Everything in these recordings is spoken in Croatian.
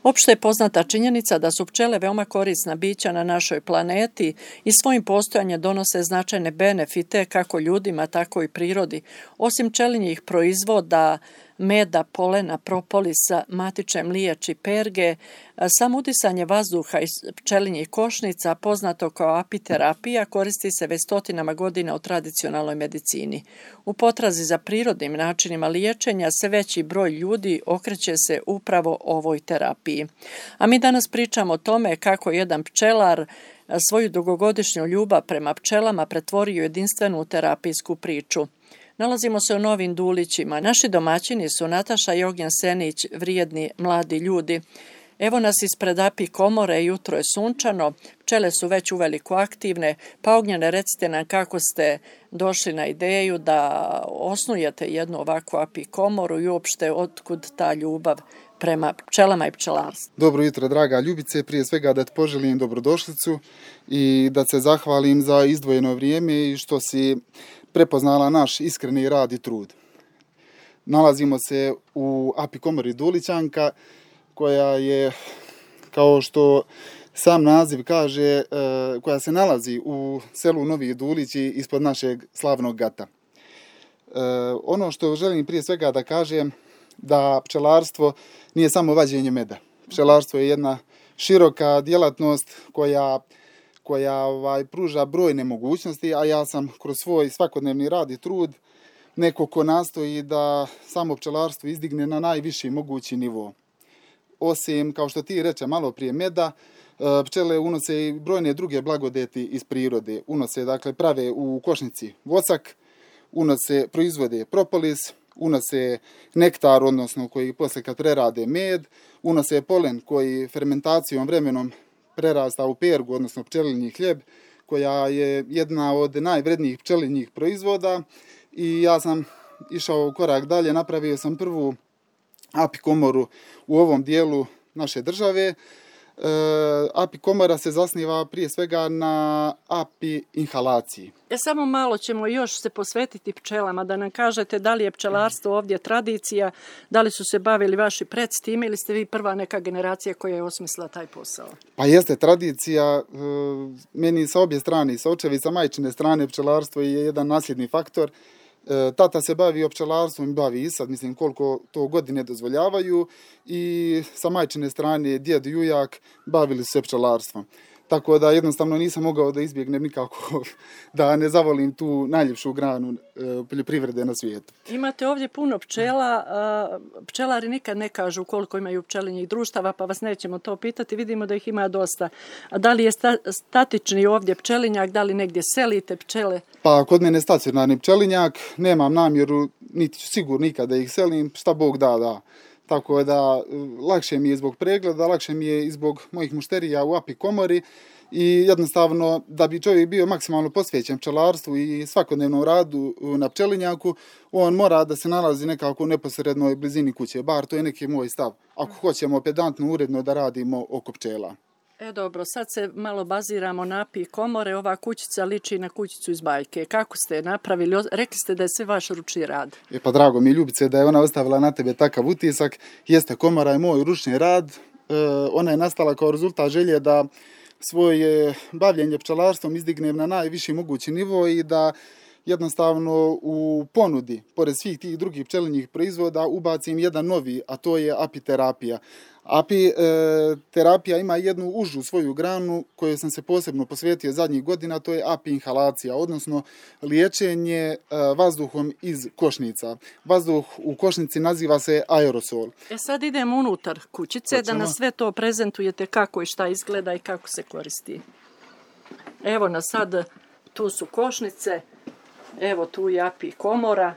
Opšte je poznata činjenica da su pčele veoma korisna bića na našoj planeti i svojim postojanjem donose značajne benefite kako ljudima, tako i prirodi. Osim pčelinjih proizvoda, meda, polena, propolisa, matične mliječi, perge, samo udisanje vazduha iz pčelinjih košnica, poznato kao apiterapija, koristi se već stotinama godina u tradicionalnoj medicini. U potrazi za prirodnim načinima liječenja sve veći broj ljudi okreće se upravo ovoj terapiji. A mi danas pričamo o tome kako jedan pčelar svoju dugogodišnju ljubav prema pčelama pretvorio u jedinstvenu terapijsku priču. Nalazimo se u Novim Dulićima. Naši domaćini su Nataša i Ognjen Senić, vrijedni mladi ljudi. Evo nas ispred apikomore, jutro je sunčano, pčele su već uveliko aktivne, pa Ognjene, recite nam kako ste došli na ideju da osnujete jednu ovakvu apikomoru i uopšte otkud ta ljubav prema pčelama i pčelarstvu. Dobro jutro, draga Ljubice, prije svega da te poželim dobrodošlicu i da se zahvalim za izdvojeno vrijeme i što si prepoznala naš iskreni rad i trud. Nalazimo se u apikomori Dulićanka, koja je, kao što sam naziv kaže, koja se nalazi u selu Novi Dulići ispod našeg slavnog gata. Ono što želim prije svega da kažem, da pčelarstvo nije samo vađenje meda. Pčelarstvo je jedna široka djelatnost koja pruža brojne mogućnosti, a ja sam kroz svoj svakodnevni rad i trud neko ko nastoji da samo pčelarstvo izdigne na najviši mogući nivo. Osim, kao što ti reče malo prije meda, pčele unose i brojne druge blagodeti iz prirode. Unose, dakle, prave u košnici vocak, proizvode propolis, unose nektar, odnosno koji poslije kad prerade med, unose polen koji fermentacijom vremenom prerasta u pergu, odnosno pčelinji hljeb, koja je jedna od najvrednijih pčelinjih proizvoda. I ja sam išao korak dalje, napravio sam prvu apikomoru u ovom dijelu naše države. Apikomora se zasniva prije svega na api inhalaciji. Samo malo ćemo još se posvetiti pčelama, da nam kažete da li je pčelarstvo ovdje tradicija, da li su se bavili vaši pred s time ili ste vi prva neka generacija koja je osmislila taj posao? Pa jeste tradicija, meni sa obje strane, sa očevi, sa majčine strane pčelarstvo je jedan nasljedni faktor. Tata se bavi pčelarstvom i bavi i sad, mislim, koliko to godine dozvoljavaju, i sa majčine strane djed i ujak bavili su se pčelarstvom. Tako da jednostavno nisam mogao da izbjegnem nikako da ne zavolim tu najljepšu granu poljoprivrede na svijetu. Imate ovdje puno pčela, pčelari nikad ne kažu koliko imaju pčelinjih društava, pa vas nećemo to pitati, vidimo da ih ima dosta. A da li je statični ovdje pčelinjak, da li negdje selite pčele? Pa kod mene stacionarni pčelinjak, nemam namjeru, niti ću sigurno nikad da ih selim, šta Bog da. Tako da lakše mi je zbog pregleda, lakše mi je i zbog mojih mušterija u apikomori i jednostavno da bi čovjek bio maksimalno posvećen pčelarstvu i svakodnevnom radu na pčelinjaku, on mora da se nalazi nekako u neposrednoj blizini kuće, bar to je neki moj stav, ako hoćemo pedantno, uredno da radimo oko pčela. Dobro, sad se malo baziramo na apikomore, ova kućica liči na kućicu iz bajke. Kako ste je napravili? Rekli ste da je sve vaš ručni rad. Pa drago mi je, Ljubice, da je ona ostavila na tebe takav utisak. Jeste, komora je moj ručni rad. Ona je nastala kao rezultat želje da svoje bavljenje pčelarstvom izdignem na najviši mogući nivo i da jednostavno u ponudi, pored svih tih drugih pčelinjih proizvoda, ubacim jedan novi, a to je apiterapija. Apiterapija ima jednu užu svoju granu koju sam se posebno posvetio zadnjih godina, to je api-inhalacija, odnosno liječenje vazduhom iz košnica. Vazduh u košnici naziva se aerosol. Sad idemo unutar kućice da nas sve to prezentujete kako i šta izgleda i kako se koristi. Evo nas sad, tu su košnice, evo tu je apikomora.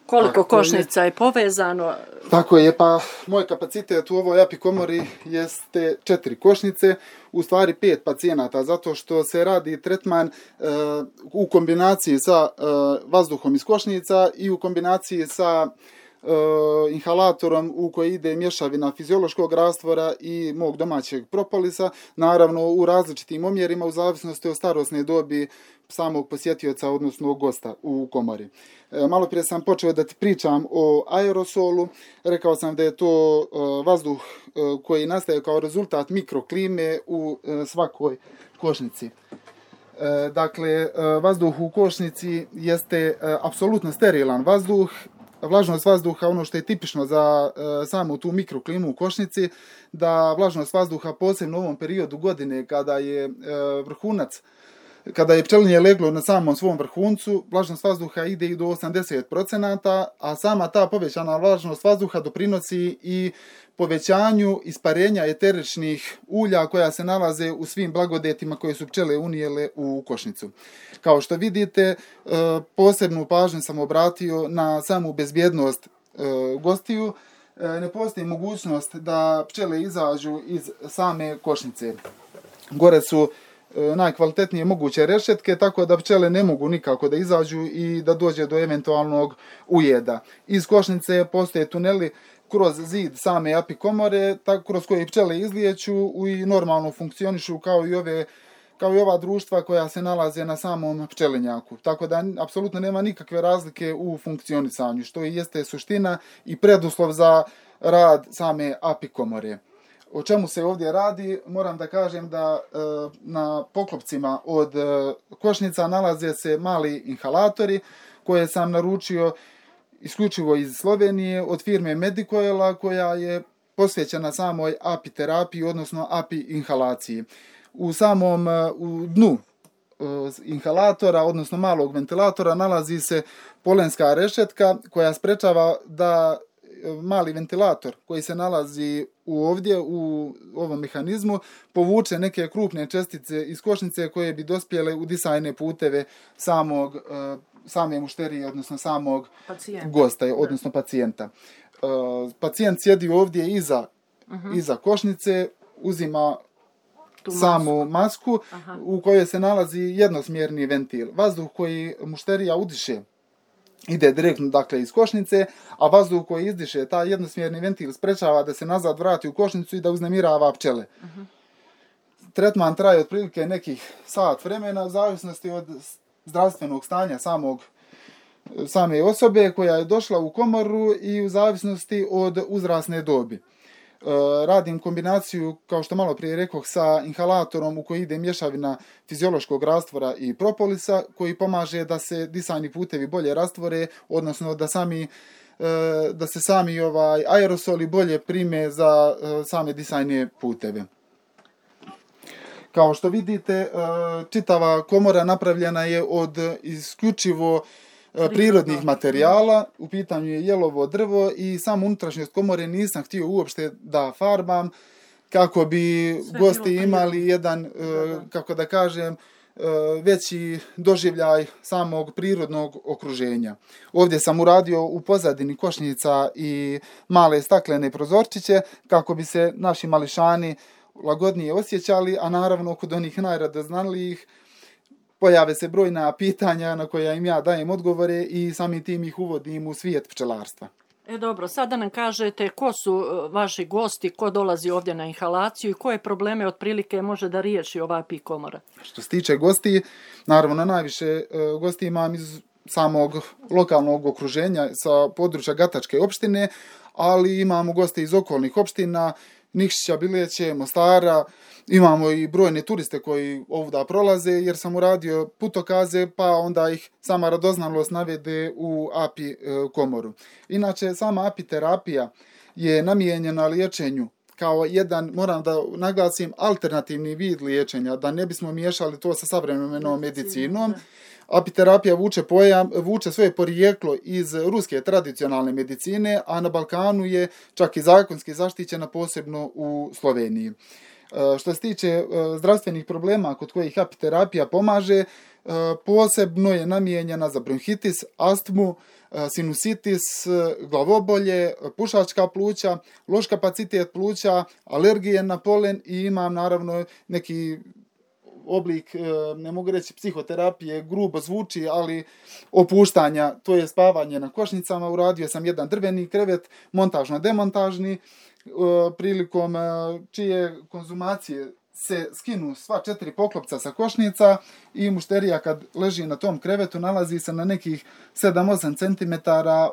Koliko košnica je povezano? Tako je, pa moj kapacitet u ovoj apikomori jeste 4 košnice, u stvari 5 pacijenata, zato što se radi tretman u kombinaciji sa vazduhom iz košnica i u kombinaciji sa inhalatorom u koji ide mješavina fiziološkog rastvora i mog domaćeg propolisa, naravno u različitim omjerima u zavisnosti od starosne dobi samog posjetioca, odnosno gosta u komori. Malo prije sam počeo da ti pričam o aerosolu. Rekao sam da je to vazduh koji nastaje kao rezultat mikroklime u svakoj košnici. Dakle, vazduh u košnici jeste apsolutno sterilan vazduh. Vlažnost vazduha, ono što je tipično za samu tu mikroklimu u košnici, da vlažnost vazduha posebno u ovom periodu godine kada je vrhunac, kada je pčelinje leglo na samom svom vrhuncu, vlažnost vazduha ide i do 80%, a sama ta povećana vlažnost vazduha doprinosi i povećanju isparenja eteričnih ulja koja se nalaze u svim blagodetima koje su pčele unijele u košnicu. Kao što vidite, posebnu pažnju sam obratio na samu bezbjednost gostiju. Ne postoji mogućnost da pčele izađu iz same košnice. Gore su najkvalitetnije moguće rešetke, tako da pčele ne mogu nikako da izađu i da dođe do eventualnog ujeda. Iz košnice postoje tuneli kroz zid same apikomore, kroz koje pčele izlijeću i normalno funkcionišu kao i ova društva koja se nalaze na samom pčelinjaku. Tako da apsolutno nema nikakve razlike u funkcionisanju, što i jeste suština i preduslov za rad same apikomore. O čemu se ovdje radi? Moram da kažem da na poklopcima od košnica nalaze se mali inhalatori koje sam naručio isključivo iz Slovenije od firme Medicoela, koja je posvećena samoj apiterapiji, odnosno api-inhalaciji. U dnu inhalatora, odnosno malog ventilatora, nalazi se polenska rešetka koja sprečava da mali ventilator koji se nalazi ovdje u ovom mehanizmu povuče neke krupne čestice iz košnice koje bi dospjele u disajne puteve same mušterije, odnosno samog gosta, odnosno pacijenta. Pacijent sjedi ovdje iza košnice, uzima samu masku u kojoj se nalazi jednosmjerni ventil. Vazduh koji mušterija udiše ide direktno, dakle, iz košnice, a vazduh koji izdiše, taj jednosmjerni ventil sprečava da se nazad vrati u košnicu i da uznemirava pčele. Tretman traje otprilike nekih sat vremena, u zavisnosti od zdravstvenog stanja same osobe koja je došla u komoru i u zavisnosti od uzrasne dobi. Radim kombinaciju, kao što malo prije rekoh, sa inhalatorom u koji ide mješavina fiziološkog rastvora i propolisa, koji pomaže da se disajni putevi bolje rastvore, odnosno da se sami aerosoli bolje prime za same disajne puteve. Kao što vidite, čitava komora napravljena je od isključivo prirodnih materijala, u pitanju je jelovo drvo i samu unutrašnjost komore nisam htio uopšte da farbam kako bi gosti imali jedan, kako da kažem, veći doživljaj samog prirodnog okruženja. Ovdje sam uradio u pozadini košnica i male staklene prozorčiće kako bi se naši mališani lagodnije osjećali, a naravno kod onih najradoznanlijih pojave se brojna pitanja na koja im ja dajem odgovore i samim tim ih uvodim u svijet pčelarstva. Dobro, sad da nam kažete ko su vaši gosti, ko dolazi ovdje na inhalaciju i koje probleme otprilike može da riješi ova apikomora? Što se tiče gosti, naravno najviše gosti imam iz samog lokalnog okruženja sa područja Gatačke opštine, ali imamo goste iz okolnih opština, Nikšića, Bileće, Mostara. Imamo i brojne turiste koji ovdje prolaze jer sam uradio putokaze, pa onda ih sama radoznalost navede u api komoru. Inače, sama apiterapija je namijenjena liječenju kao jedan, moram da naglasim, alternativni vid liječenja, da ne bismo miješali to sa savremenom medicinom. Apiterapija vuče svoje porijeklo iz ruske tradicionalne medicine, a na Balkanu je čak i zakonski zaštićena, posebno u Sloveniji. Što se tiče zdravstvenih problema kod kojih apiterapija pomaže, posebno je namijenjena za bronhitis, astmu, sinusitis, glavobolje, pušačka pluća, loš kapacitet pluća, alergije na polen i imam naravno neki oblik, ne mogu reći psihoterapije, grubo zvuči, ali opuštanja, to je spavanje na košnicama. Uradio sam jedan drveni krevet, montažno-demontažni, prilikom čije konzumacije se skinu sva 4 poklopca sa košnica i mušterija kad leži na tom krevetu nalazi se na nekih 7-8 cm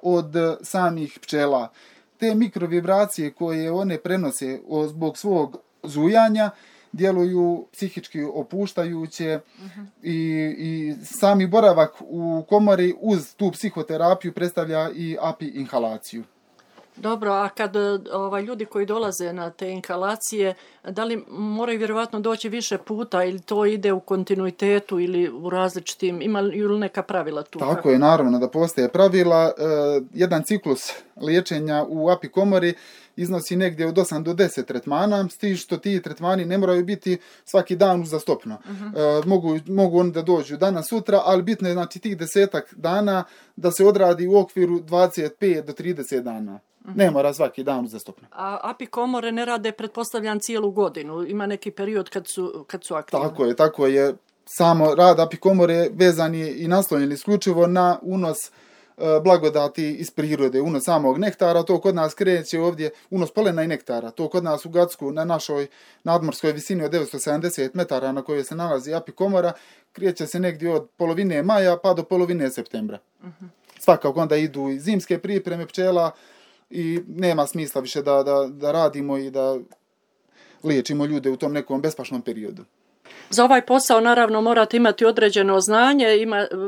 od samih pčela. Te mikrovibracije koje one prenose zbog svog zujanja djeluju psihički opuštajuće i sami boravak u komori uz tu psihoterapiju predstavlja i API inhalaciju. Dobro, a kad ljudi koji dolaze na te inhalacije, da li moraju vjerovatno doći više puta ili to ide u kontinuitetu ili u različitim, ima li neka pravila tu? Tako je, naravno da postoje pravila. Jedan ciklus liječenja u API komori iznosi negdje od 8 do 10 tretmana, s tim što ti tretmani ne moraju biti svaki dan uzastopno. Mogu oni da dođu danas, sutra, ali bitno je znači tih 10 dana da se odradi u okviru 25 do 30 dana. Ne mora svaki dan uzastopno. A API komore ne rade, pretpostavljam, cijelu godinu. Ima neki period kad su aktivni. Tako je. Samo rad API komore vezan je i naslonjen isključivo na unos blagodati iz prirode, unos samog nektara. To kod nas kreće ovdje, unos polena i nektara. To kod nas u Gacku na našoj nadmorskoj visini od 970 metara na kojoj se nalazi API komora, kreće se negdje od polovine maja pa do polovine septembra. Svakako onda idu i zimske pripreme pčela, i nema smisla više da radimo i da liječimo ljude u tom nekom bespašnom periodu. Za ovaj posao naravno morate imati određeno znanje,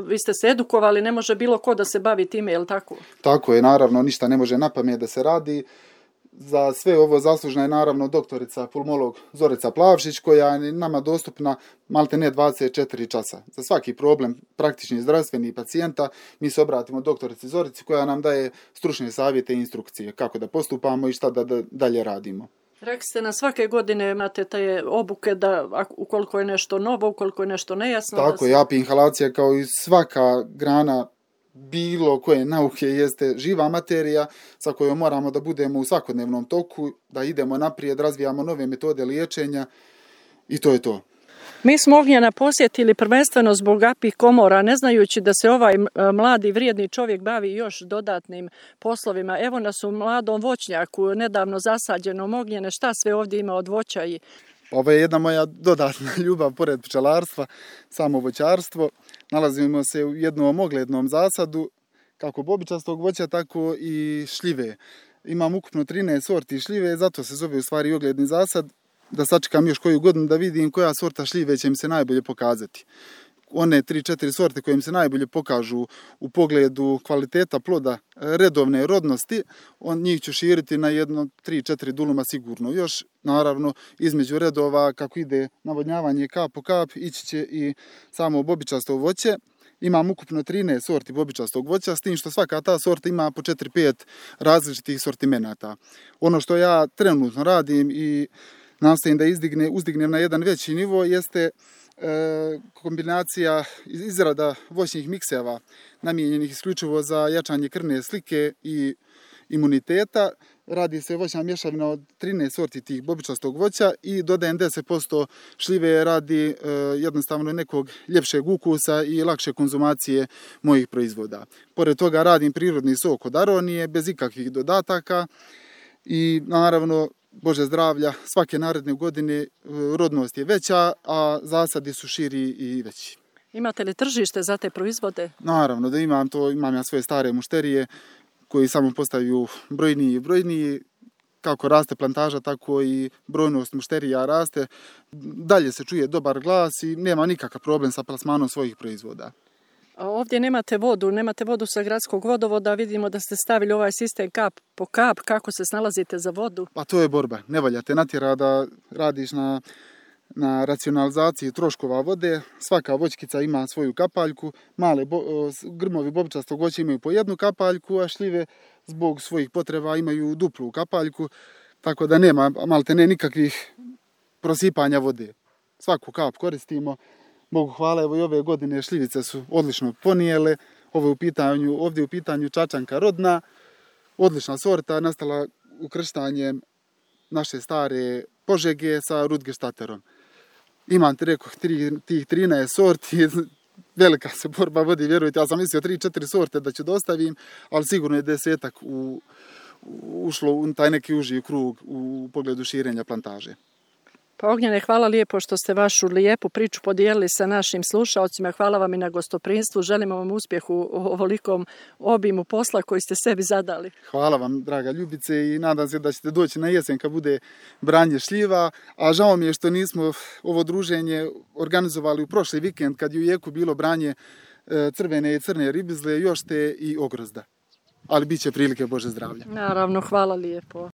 vi ste se edukovali, ne može bilo ko da se bavi time, je li tako? Tako je, naravno, ništa ne može napamet da se radi. Za sve ovo zaslužna je naravno doktorica pulmolog Zorica Plavšić, koja je nama dostupna maltene 24 časa. Za svaki problem praktični zdravstveni pacijenta mi se obratimo doktorici Zorici koja nam daje stručne savjete i instrukcije kako da postupamo i šta da dalje radimo. Rekli ste na svake godine imate te obuke da ukoliko je nešto novo, ukoliko je nešto nejasno. Tako je, API inhalacija kao i svaka grana bilo koje nauke jeste živa materija sa kojom moramo da budemo u svakodnevnom toku, da idemo naprijed, razvijamo nove metode liječenja i to je to. Mi smo Ognjena posjetili prvenstveno zbog API komora, ne znajući da se ovaj mladi vrijedni čovjek bavi još dodatnim poslovima. Evo nas u mladom voćnjaku, nedavno zasađenom Ognjene, šta sve ovdje ima od voća i... Ovo je jedna moja dodatna ljubav pored pčelarstva, samo voćarstvo. Nalazimo se u jednom oglednom zasadu, kako bobičastog voća, tako i šljive. Imam ukupno 13 sorti šljive, zato se zove u stvari ogledni zasad. Da sačekam još koju godinu da vidim koja sorta šljive će mi se najbolje pokazati. One 3-4 sorte koje mi se najbolje pokažu u pogledu kvaliteta ploda, redovne rodnosti, njih ću širiti na jedno 3-4 duluma sigurno. Još, naravno, između redova, kako ide navodnjavanje kap po kap, ići će i samo bobičasto voće. Imam ukupno 13 sorti bobičastog voća, s tim što svaka ta sorta ima po 4-5 različitih sortimenata. Ono što ja trenutno radim i nastojim da uzdignem na jedan veći nivo jeste kombinacija izrada voćnih mikseva namijenjenih isključivo za jačanje krvne slike i imuniteta. Radi se voćna mješavina od 13 sorti tih bobičastog voća i dodajem 10% šljive radi jednostavno nekog ljepšeg ukusa i lakše konzumacije mojih proizvoda. Pored toga radim prirodni sok od aronije bez ikakvih dodataka i naravno Bože zdravlja, svake naredne godine rodnost je veća, a zasadi su širi i veći. Imate li tržište za te proizvode? Naravno da imam ja svoje stare mušterije koji samo postaju brojniji i brojniji. Kako raste plantaža, tako i brojnost mušterija raste. Dalje se čuje dobar glas i nema nikakav problem sa plasmanom svojih proizvoda. Ovdje nemate vodu sa gradskog vodovoda, vidimo da ste stavili ovaj sistem kap po kap, kako se snalazite za vodu? Pa to je borba, ne valja te natjera da radiš na racionalizaciji troškova vode, svaka voćkica ima svoju kapaljku, male grmovi bobičastog voća imaju po jednu kapaljku, a šljive zbog svojih potreba imaju duplu kapaljku, tako da nema maltene nikakvih prosipanja vode. Svaku kap koristimo. Bogu hvala, evo i ove godine šljivice su odlično ponijele. Ovdje je u pitanju čačanka rodna, odlična sorta, nastala ukrštanjem naše stare Požege sa Rudgerstaterom. Imam ti rekao tih 13 sorti, velika se borba vodi, vjerujte, ja sam mislio 3-4 sorte da ću dostavim, ali sigurno je 10-ak ušlo u taj neki uži krug u pogledu širenja plantaže. Pa Ognjene, hvala lijepo što ste vašu lijepu priču podijelili sa našim slušaocima. Hvala vam i na gostoprinstvu. Želimo vam uspjeh u ovolikom obimu posla koji ste sebi zadali. Hvala vam, draga Ljubice, i nadam se da ćete doći na jesen kad bude branje šljiva, a žao mi je što nismo ovo druženje organizovali u prošli vikend kad je u jeku bilo branje crvene i crne ribizle, jošte i ogrozda. Ali bit će prilike, Bože zdravlja. Naravno, hvala lijepo.